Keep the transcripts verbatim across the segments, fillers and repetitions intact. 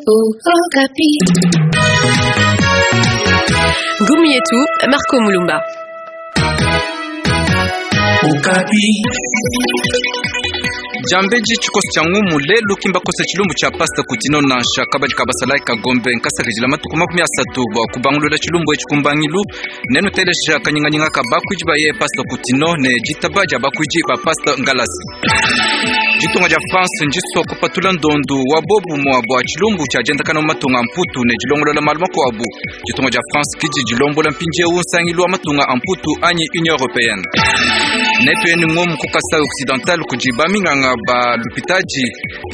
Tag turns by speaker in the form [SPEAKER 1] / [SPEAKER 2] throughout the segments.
[SPEAKER 1] Okapi.
[SPEAKER 2] Ngumu yetu Marco Mulumba.
[SPEAKER 3] Okapi.
[SPEAKER 4] Jambeji tshikoso tshia ngumu lelu kimbakosa tshilumbu tshia pasta kutino nansha kabadi ka basalayi kagombe nkasakidila matuku makumi asatu bua kubangulula tshilumbu etshi kumbangilu nenu telesha kanyinganyinga ka bakuidi baye pasta kutino ne ditaba dia bakuidi ba pasta ngalasi. Ditunga dia France ndisua kupatula ndondu wa bobumua bua tshilumbu tshia diendakana mu matunga a mputu ne dilongolola malu makuabu. Ditunga dia France kidi dilombola mpindiewu nsangilu wa matunga a mputu anyi Union européenne. Netu yenu ngomu ku Kasai Occidental kudi baminganga ba lupitaji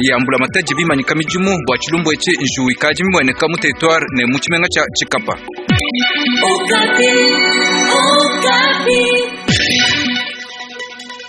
[SPEAKER 4] ya mbulamatadi bimanyika midimu bua tshilumbu etshi njuwu ikadi mimueneka mu territoire ne mu tshimenga tshia Tshikapa.
[SPEAKER 1] Okapi. Okapi.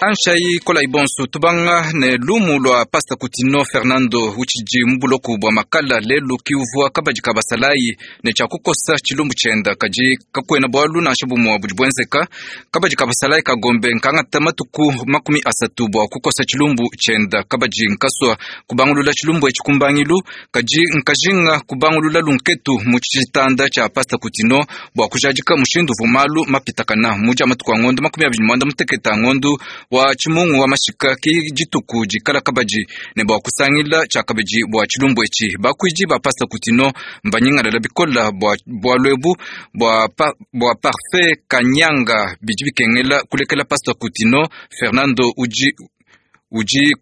[SPEAKER 4] Anshai kola ibonso tubanga ne lumu lwa pasta Kutino Fernando utshidi mu buloku bua makala lelu kiuvua kabadi ka basalayi ne tshia kukosa tshilumbu tshienda kadi kakuena bualu nansha bumue budi buenzeka. Kabadi ka basalayi kagombe nkangata matuku makumi asatu bua kukosa tshilumbu tshienda. Kabadi nkasua kubangulula tshilumbu etshi kumbangilu kadi nkajinga kubangulula lunketu mu tshitanda tshia pasta Kutino bua kujadika mushindu uvua malu mapitakana mu dia matuku a ngondo makumi abidi muanda mutekete a ngondo wa tshimungu wa mashika ki dituku dikala kabadi ne bua kusangila tshia kabidi bua tshilumbu etshi. Bakuidi ba pasta Kutino mbanyingalala bikola bua bualu ebu bua pa, bua Parfait Kanyanga bidi bikengela kulekela pasta Kutino Fernando udi udi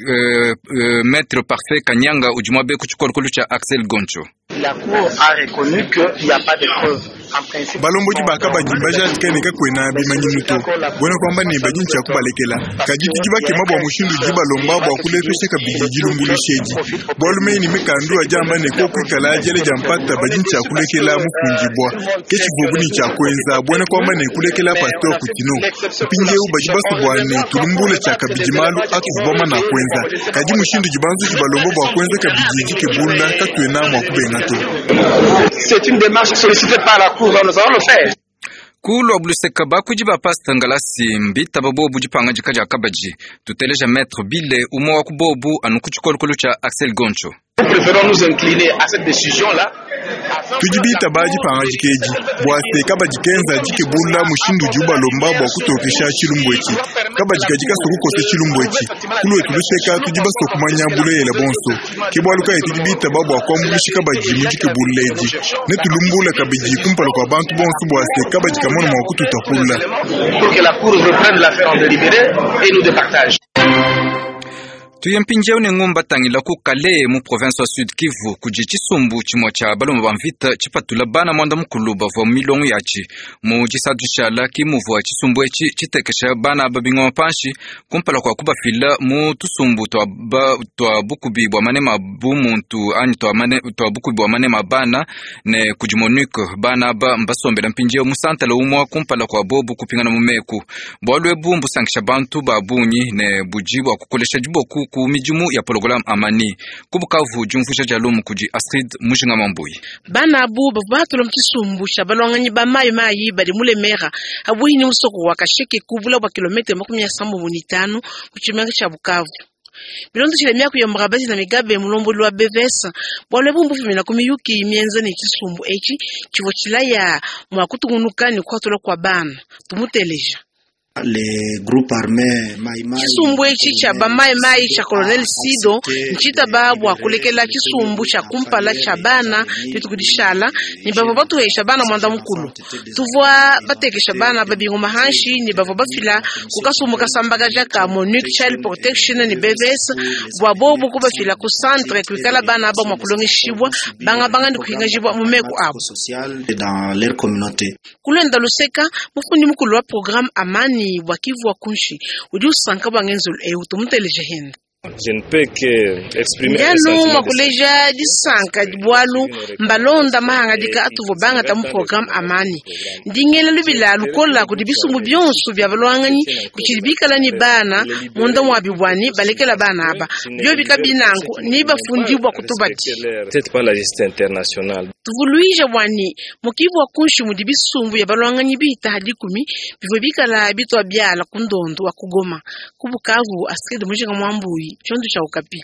[SPEAKER 4] euh, euh, maître Parfait Kanyanga udi muabe ku tshikolokolo tshia Axel Goncho.
[SPEAKER 5] La cour a reconnu qu'il n'y a pas de preuves. En principe,
[SPEAKER 6] Balombodi bakabadi mbajadika ne kakuena bimanyinu to buena kuamba ne badi ntshia kubalekela kadi tudi bakema bua mushindu udi balomba bua kulepesha kabidi dilumbuluisha edi bualu meyi ne mikandu adi amba ne kokuikala diele dia mpata badi ntshia kulekela mufundibua ke tshivuabu ne tshia kuenza buena kuamba ne kulekela pasteur Kutino. Mpindiewu badi basue bua ne tulumbule tshia kabidi malu atuvua bamana kuenza kadi mushindu udi banzuji balomba bua kuenza kabidi dikebulula katuena mua kubenga to.
[SPEAKER 5] C'est une démarche sollicitée par la cour, nous allons le faire.
[SPEAKER 4] Kulwa buluseka bakuidi ba pasta ngalasi mbitaba bobu dipangadika dia kabadi. Tuteleja maître Bile umue wa ku bobu anu ku tshikolokolo tshia Axel Goncho.
[SPEAKER 5] Nous préférons nous incliner à cette décision-là.
[SPEAKER 6] Tudi bitaba dipangadika edi bua se kabadi kenza dikebulula mushindu udi ubalomba bua kutokesha tshilumbu etshi. Kabadi kadi kasua kukosa tshilumbu etshi kuluetu luseka tudi basue kumanya bulelela bonso ke bualu kayi tudi bitaba bua kuambuluisha kabadi mu dikebulula edi ne tulumbula kabidi kumpala kua bantu bonso bua se kabadi kamona mua kututapulula.
[SPEAKER 5] Pour que la cour reprenne l'affaire en délibéré et nous départage.
[SPEAKER 4] Tuye mpindiewu ne ngumba tangila ku Kalehe mu province wa Sud Kivu kudi tshisumbu tshimue tshia baloma ba mvita tshipatula bana muanda mukulu bavua mu milongo yatshi mu disatu dishala ki muvua tshisumbu etshi tshitekesha bana aba bingoma panshi kumpala kua kubafila mu tusumbu tua, ba, tua bukubi bua manema bumuntu anyi tua, mane, tua bukubi bua manema bana ne kudi MONUC. Bana aba mbasombela mpindiewu mu santala umua kumpala kua bobu kupingana mu meku. Bualu ebu mbusankisha bantu ba bungi ne budi bua kukolesha diboku ku midimu ya programme Amani. Ku Bukavu diumvuija dia lumu kudi Astrid Mujinga Mambuyi.
[SPEAKER 7] Bana abu bavua bahatula mu tshisumbu tshia balwanganyi ba mayi mayi badi mu Lemera abuhi ni musoko wa Kasheke kubula bua kilometre makumi asambombo ne itanu mu tshimenga tshia Bukavu. Bilondeshile miaku ya Murabazi na Migabe mulombodi wa B V S bualu ebu mbufumina ku miyuki mienza ne tshisumbu etshi tshivua tshilaya mua kutungunuka ne kuhatula kua bana. Tumuteleja. Tshisumbu etshi tshia bamayimayi tshia Colonel Sido ntshitaba bua kulekela tshisumbu tshia kumpala tshia bana dituku dishala ne bavua batuhesha bana muanda mukulu. Tuvua batekesha bana babingoma hanshi ne bavua bafila ku kasumbu kasambakaja ka MONUC Child Protection ne B V S bua bobu kubafila ku centre kuikala bana aba mua kulongeshibwa bangabanga ne kuhingajibwa mu meku abo. Kulwenda luseka mufundi mukulu wa programme Amani bua Kivu wa kunshi udi usanka bua ngenzelu ewu. Tumuteleje henda. Ndianu mwakuleja disanka bualu mbalonda mahangadika atuvua bangata mu programme Amani. Ndingela lubila lukola kudi bisumbu bionso bia balwanganyi bitshidi bikala ne bana munda mua bibwani balekela bana aba bio bikabinanku ni bafundibwa kutubati. Tuvuluija bwani mu Kivu wa kunshi mudi bisumbu bia balwanganyi bihita dikumi bivua bikala bitwa biala ku ndondo wa kugoma. Ku Bukavu, Astrid Mujinga Mwambuyi, tshiondo tshia Okapi.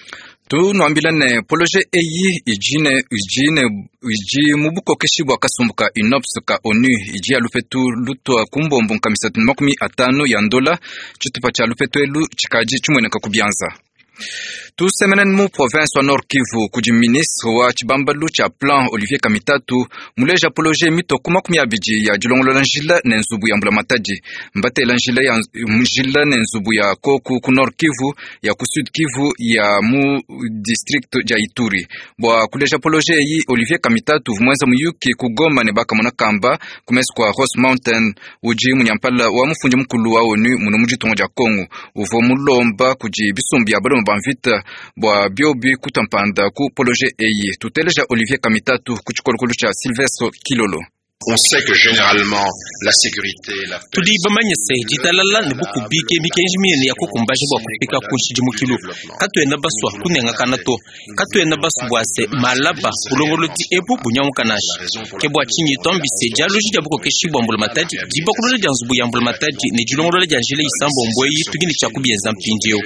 [SPEAKER 4] Tunuambila ne poloje eyi idi ne idi ne idi mu bukokeshi bua kasumbu ka UNOPS ka ONU idi ya lupetu lutua ku mbombo nkamisatu ne makumi atanu ya ndola tshitupa tshia lupetu elu tshikadi tshimueneka ku bianza. Tusemene mu province wa Nord Kivu kudi ministre wa tshibambalu tshia plan Olivier Kamitatu muleja poloje mitoku makumi abidi ya dilongolola njila ne nzubu ya mbulamatadi mbatela njila ya njila ne nzubu ya koku ku Nord Kivu ya ku Sud Kivu ya mu district dia Ituri bua kuleja poloje eyi Olivier Kamitatu vumwenza muyuki ku Goma ne bakamona kamba kumesi kwa Ross Mountain udi munyampala wa mufundi mukulu wa ONU muno mu ditunga dia Kongo uvua mulomba kudi bisumbu bia baloma ba mvita bua biobi kutampanda ku poloje eyi. Tuteleja Olivier Kamitatu ku tshikolokolo tshia Sylvestre Kilolo.
[SPEAKER 5] On sait que généralement la sécurité, la paix,
[SPEAKER 3] tudi bamanye se ditalala ne bukubike mikenji minene ya kukumbaja bua kufika ku nshidimukilu katuena basua kunengakana to katuena basu bua se malaba bulongolodi ebu bunyamuka nansha ke bua tshinyi twambise dialoji dia bukokeshi bua mbulamatadi dibakulula dia nzubu ya mbulamatadi ne dilongolola dia njila isambombo eyi tudi ne tshia kubienza mpindieu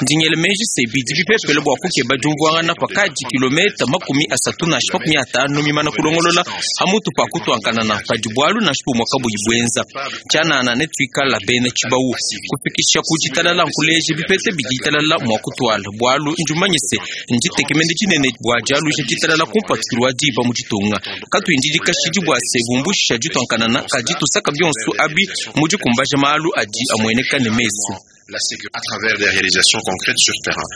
[SPEAKER 3] ndingele meji se bidi bipepele bua kukeba diumvuangana pakadi kilometa makumi asatu nansha makumi atanu mimana kulongolola hamutu pa kutuankana na padi bwalu nansha bumwe kabuyi bwenza tshianana ne tuikala bena tshibawu kufikisha ku ditalala nkuleje bipete bidi ditalala mua kutwala bwalu ndimanye se nditekemene dinene bua dialuja ditalala kumpatukilu wa diba mu ditunga katuindidi kashidi bua se bumbusha dituankanana kadi tusaka bionso abi mu dikumbaja malu adi amueneka ne mesu
[SPEAKER 5] la sécurité à travers des réalisations concrètes sur terrain.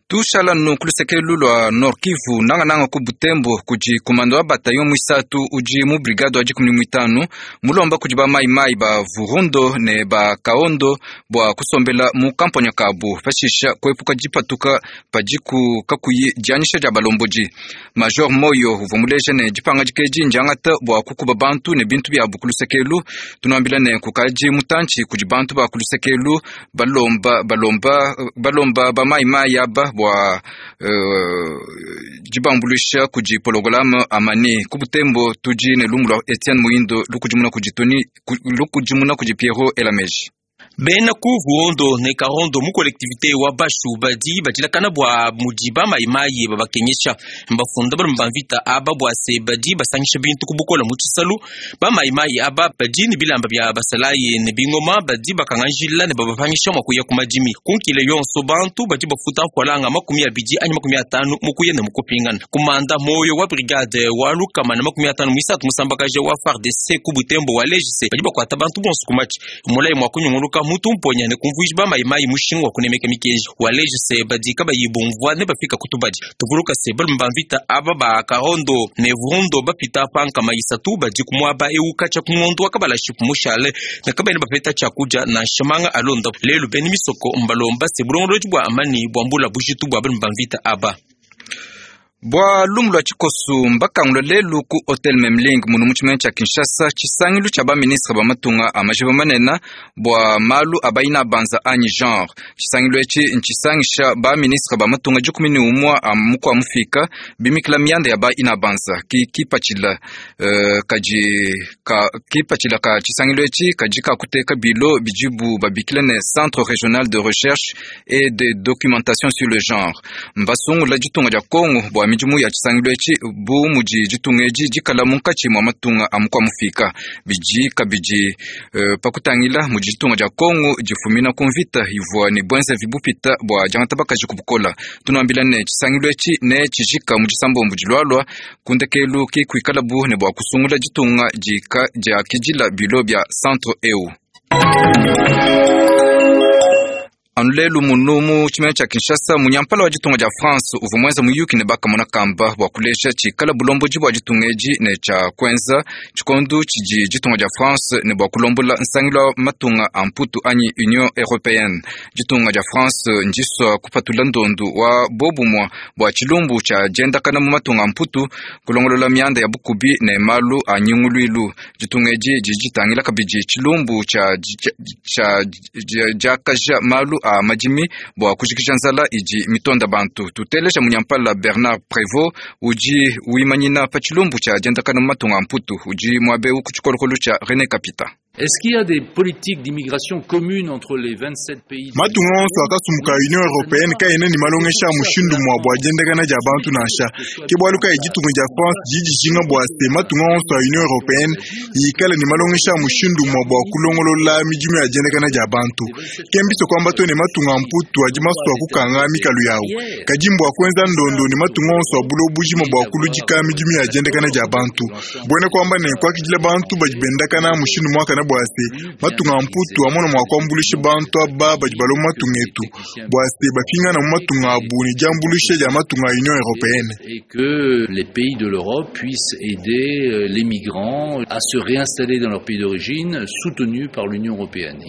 [SPEAKER 4] Tushala nu kulusekelu lua Nord Kivu nangananga ku Butembo kudi kumando wa bataillon mwisatu udi mu brigade wa dikumi mwitanu mulomba kudi ba maimai ba Vurundo ne ba Kaondo bua kusombela mu kamponya kabu pashisha kuepuka dipatuka padiku kakuyi dianyisha dia balomboji. Major Moyo uvua muleja ne dipanga dikeji ndiangata bua kukuba bantu ne bintu biabu kulusekelu. Tunuambila ne kukaji mutantshi kudi bantu ba kulusekelu balomba balomba balomba ba maimai aba bua uh, dibambulisha kudi pologolame amani ku Butembo tudi ne lumu lua Etienne Muindo lukudimuna kudi Tony lukudimuna kudi Pierrot Elameji.
[SPEAKER 3] Bena ku Vuondo ne Karondo mu collectivité wa Bashu badi badilakana bua mudi ba mayimayi babakenyesha mbafunda balume ba mvita aba bua se badi basangisha bintu ku bukola mu tshisalu ba mayimayi aba badi ne bilamba bia basalayi ne bingoma badi bakanganjila ne babapangisha mua kuya ku madimi kunkile yonso bantu badi bafuta nkualanga makumi abidi anyi makumi atanu mu kuya ne mu kupingana kumanda moyo wa brigade wa lukama na makumi atanu mwisatu musambakaja wa F A R D C ku Butembo wa Legise badi bakwata bantu bonso ku matshi mulayi mua kunyunguluka mutu mponya ne kumvuija ba mayimayi mushinga wa kunemeka mikenji waleje se badi kabayi bumvua ne bafika kutubadi tuvuluka se balume ba mvita aba ba Karondo ne Vurundo bapita pankama isatu badi kumuaba eu katshia ku ngondo wa kabalashi kumushale ne kabayi bapeta tshiakudia nansha manga alonda lelu beni misoko mbalomba se bulongolodi bua amani bua mbula bujitu bua balume ba mvita aba.
[SPEAKER 4] Bua lumu lua tshikosu mbakangula lelu ku Hotel Memling munu mu tshimenga tshia Kinshasa tshisangilu tshia baministre ba matunga a majiba manene bua malu a bayina banza anyi genre. Tshisangilu etshi ntshisangisha baministre ba matunga dikumi ne umua a mukua mufika bimikila mianda ya bayina banza ki kipatshila uh, kadi ka kipatshila ka tshisangilu etshi kadi kakuteka bilo bidibu babikila ne Centre Régional de Recherche et de Documentation sur le Genre. Mbasungula ditunga dia Kongo bua midimu ya tshisangilu etshi bu mudi ditunga edi dikala munkatshi mua matunga a mukua mufika bidi kabidi uh, pakutangila mudi ditunga dia Kongo difumina ku mvita ivua ne bwenzevi bupita bua diangata bakaji ku bukola. Tunuambila ne tshisangilu etshi ne tshijika mu disambombo dilualua kundekelu ki kuikalabu ne bua kusungula ditunga dika diakidila bilo bia centre eu. Anu lelu munu mu tshimenga tshia Kinshasa munyampala wa ditunga dia France uvua muenza muyuki ne bakamona kamba bua kuleja tshikala bulombodi bua ditunga edi ne tshia kuenza tshikondo tshidi ditunga dia France ne bua kulombola nsangilu wa matunga a mputu anyi Union Européenne. Ditunga dia France ndisua kupatula ndondu wa bobumua bua tshilumbu tshia diendakana mu matunga a mputu kulongolola mianda ya bukubi ne malu a nyunguluilu. Ditunga edi didi ditangila kabidi tshilumbu tshia tshia diakaja malu a madimi bua kujikija nzala idi mitonda bantu. Tuteleja munyampala Bernard Prévost udi wimanyina pa tshilumbu tshia diendakana mu matunga a mputu udi muabe ku tshikolokolo tshia René Kapita.
[SPEAKER 8] Est-ce qu'il y a des politiques d'immigration communes entre les vingt-sept pays?
[SPEAKER 6] Matunga onso akasumbuka Union européenne kaena ne malongesha a mushindu mua bua diendakana dia bantu nansha. Ke bualu kayi ditunga dia France didi dijinga bua se matunga onso a Union européenne ikale ne malongesha a mushindu mua bua kulongolola midimu ya diendakana dia bantu. Ke mbise kuamba to ne matunga a mputu adi masua kukanga mikalu yawu. Kadi mbua kuenza ndondo ne matunga onso a buloba bujima bua kuludika midimu ya diendakana dia bantu. Buena kuamba ne kuakidila bantu badi bendakana mushindu muakane bua se matunga a mputu amona mua kuambuluisha bantu aba badi balomba matunga etu bua se bapingana mu matunga abu ne diambuluisha dia matunga a Union européenne.
[SPEAKER 8] Et que les pays de l'Europe puissent aider les migrants à se réinstaller dans leur pays d'origine, soutenus par l'Union européenne.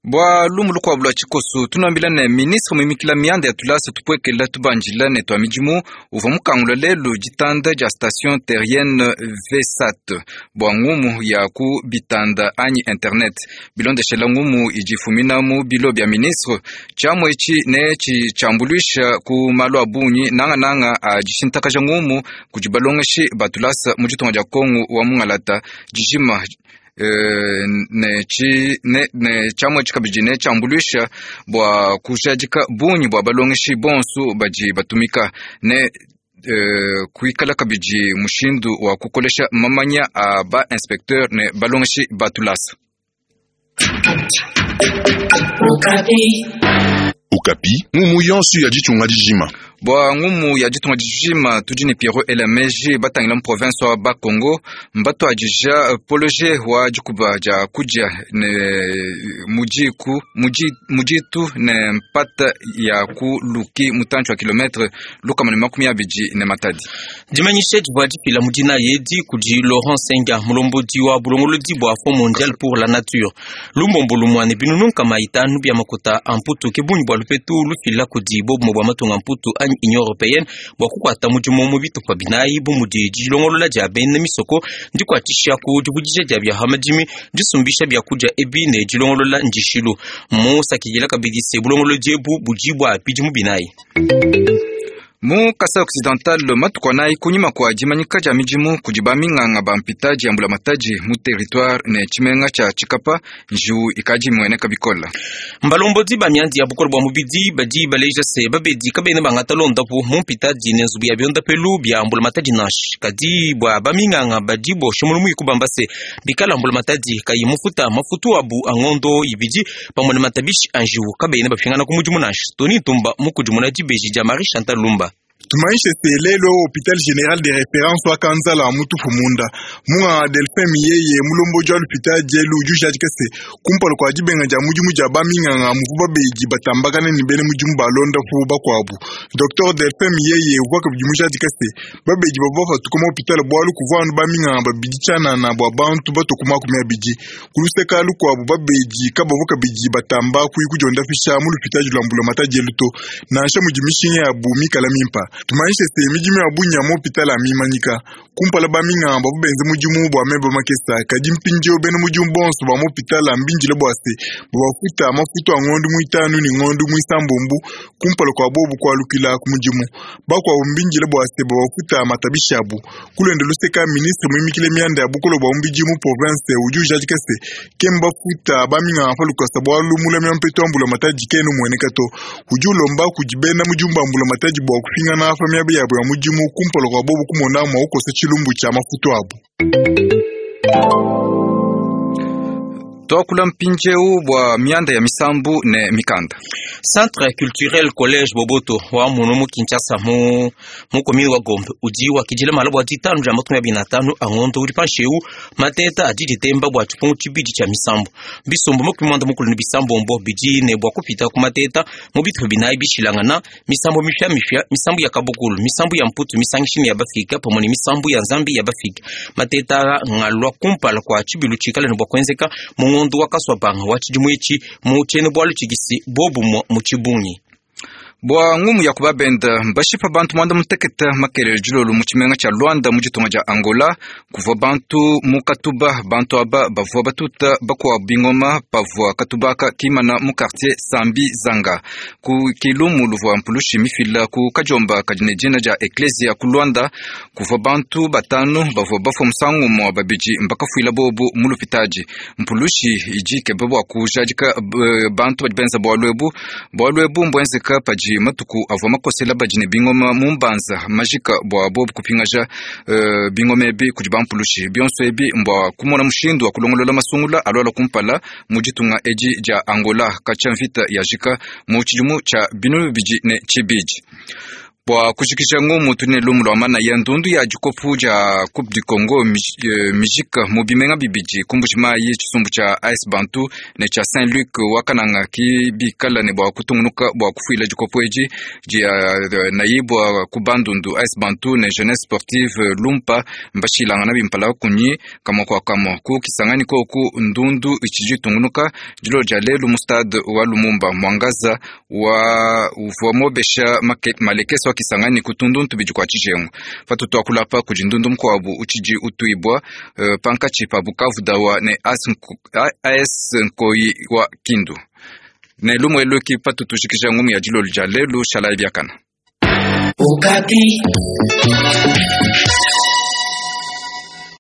[SPEAKER 4] Bua lumu lukuabu lua tshikoso tunambila ne ministre muimikila mianda ya tulasa tupuekela tubanjila ne tua midimu uvua mukangula lelu ditanda dia station terrienne V SAT bua ngumu ya ku bitanda anyi internet bilondeshela ngumu idi ifumina mu bilo bia ministre tshiamua etshi ne tshitshiambuluisha ku malu a bungi nangananga a dishintakaja ngumu kudi balongeshi ba tulasa mu ditunga dia Kongo wa mungalata dijima. Uh, ne chi ne ne tshiamua etshi kabidi ne tshiambuluisha bua kujadika bungi bua balongeshi bonso badi batumika ne uh, kuikala kabidi mushindu wa kukolesha mamanya a ba inspecteur ne balongeshi ba tulasa.
[SPEAKER 9] Okapi ngumu yonso ya ditunga dijima.
[SPEAKER 4] Bua ngumu ya ditunga dijima tudi ne Pierrot Elameji batangila mu province wa Bakongo mbatuadija poloje wa dikuba dia kudia ne mudiku mudi muditu ne mpata ya ku luki mutantshi wa kilometre lukama ne makumi abidi ne matadi.
[SPEAKER 3] Dimanyisha divua difila mu dina yedi kudi Laurent Senga mulombodi wa bulongolodi bua Fonds mondial pour la nature. Lumbombo lumua ne binunu nkama itanu bia makuta a mputu ke bungi bua lupetu lufila kudi bobumue bua matunga mputu anyi Union européenne bua kukuata mudimu mu bitupa binayi bu mudi dilongolola dia bena misoko dikuatshisha ku divudija dia bia hamadimi disumbisha biakudia ebi ne dilongolola ndishilu musakidila kabidi se bulongolodi ebu budi bua bidimu binayi.
[SPEAKER 4] Mu Kasai Occidental matuku anayi kunyima kua dimanyika dia midimu kudi baminganga ba mpitadi ya mbulamatadi mu territoire ne tshimenga tshia Tshikapa njiwu ikadi imueneka bikola.
[SPEAKER 3] Mbalombodi ba miandi ya bukole bua mubidi badi baleja se babedi kabena bangata londapu mu mpitadi ne nzubu ya biondapelu bia mbulamatadi nansha kadi bua baminganga badi bosha mulumu ikubamba se bikala mbulamatadi kayi mufuta mafutu abu a ngondo ibidi pamue ne matabishi a njiwu kabena bapingana ku mudimu nansha. Tony Ntumba mukudimuna dibeji dia Marie Chantal Lumba.
[SPEAKER 6] Tumanyishe se lelo hôpital général de référence wa Kanzala mutufu munda munga Delphin Miyeye mulombodi wa l'hôpital dielu udi ujadika se kumpala kua dibenga dia mudimu dia baminganga muvu babedi batambakane ne bena mudimu balondapu bakuabu. Docteur Delphin Miyeye uvua kabidi mujadika se babedi bavua bapatuka mu hôpital bualu kuvua anu baminganga babidi tshianana bua bantu batue ku makumi abidi. Ku luseka lukuabu babedi kabavua kabidi batamba kuyi kudiondafisha mu l'hôpital lua mbulamatadi dielu to nansha mudi mishinga yabu mikala mimpa. Tumanyishe se midimu ya bungi ya mu hôpital amimanyika kumpala baminganga bavua benze mudimu bua meba makesa kadi mpindieu bena mudimu bonso ba mu hôpital ambindile bua se babafuta mafutu a ngondo muitanu ne ngondo muisambombo kumpala kua bobu kualukila ku mudimu bakuabu mbindile bua se babafuta matabishi abu. Kulwende luseka ministre muimikile mianda ya bukolo bua mubidi mu province udi ujadika se ke mbafuta baminganga pa lukasa bualu mulami wa mpetu wa mbulamatadi kena umueneka to udi ulomba kudi bena mudimu ba mbulamatadi bua kupingana pa miaba yabo ya mudimu kumpala kua bobu kumona mua kukosa tshilumbu tshia mafutu abu.
[SPEAKER 4] Tuakula mpindieu bua mianda ya misambu ne mikanda.
[SPEAKER 3] Centre culturel collège Boboto wa munu mu Kinshasa mu mu commune wa Gombe udi wakidila mala bua ditanu dia makumi abidi na atanu a ngondo udi panshi eu mateta adi ditemba bua tshipungu tshibidi tshia misambu bisumbu makumi muanda mukulu ne bisambombo bidi ne bua kupita ku mateta mu bitupa binayi bishilangana misambu mipiamipia misambu ya kabukulu misambu ya mputu misangishi ne ya bafika pamue ne misambu ya nzambi ya bafika mateta ngalua kumpala kua tshibilu tshikale ne bua kuenzeka mu ngondo wa kaswapanga wa tshidimu etshi mu tshiena-bualu tshikisi bobumue mu tshibungi.
[SPEAKER 4] Bua ngumu ya kubabenda mbashipa bantu mwanda muteketa makelele dilolo mu tshimenga tshia Luanda mu ditunga dia Angola. Kuvua bantu mu katuba, bantu aba bavua batuta bakuabu bingoma pavua katubaka kimana mu quartier Sambi Zanga ku kilumu luvua mpulushi mifila ku kajomba kadi ne dina dia Ecclesia ku Luanda. Kuvua bantu batanu bavua bafua musangu umue, babidi mbakafuila bobu mu lupitadi. Mpulushi idi ikeba bua kujadika bantu badi benza bualu ebu. Bualu ebu mbuenzeka padi matuku avua makosela badi ne bingoma mu mbanza majika bua bobu kupingaja uh, bingoma ebi kudi bampulushi. Bionso ebi mbua kumona mushindu wa kulongolola masungula aluala kumpala mu ditunga edi dia Angola katshia mvita yajika mu tshidimu tshia binunu bibidi ne tshibidi. Bua kujikija ngumu tuli ne lumu lua manaya ndundu ya dikopu dia Coupe du Congo mijika mu bimenga bibidi ku Mbuji-Mayi, tshisumbu tshia A S Bantu ne tshia Saint-Luc wa Kananga ki bikala ne bua kutungunuka bua kufuila dikopu edi dia nayibwa ku Bandundu. A S Bantu ne Jeunesse Sportive Lumpa mbashilangana bimpala kunyi kamwa kwa kamwa ku Kisangani koku ndundu itshidi itungunuka dilo dia lelu mu stade wa Lumumba. Mwangaza wa uvua mobesha malekeso Kisangani kutundu ntubidi kwa tshijengu patutu akulapa kudi ndundu mukuabu utshidi utuibwa uh, pankatshi pa Bukavu dawa ne A S Nkoyi wa Kindu ne lumu elu ki patutu jikija ngumu ya dilolo dia lelu shalai biakana.
[SPEAKER 1] Okapi.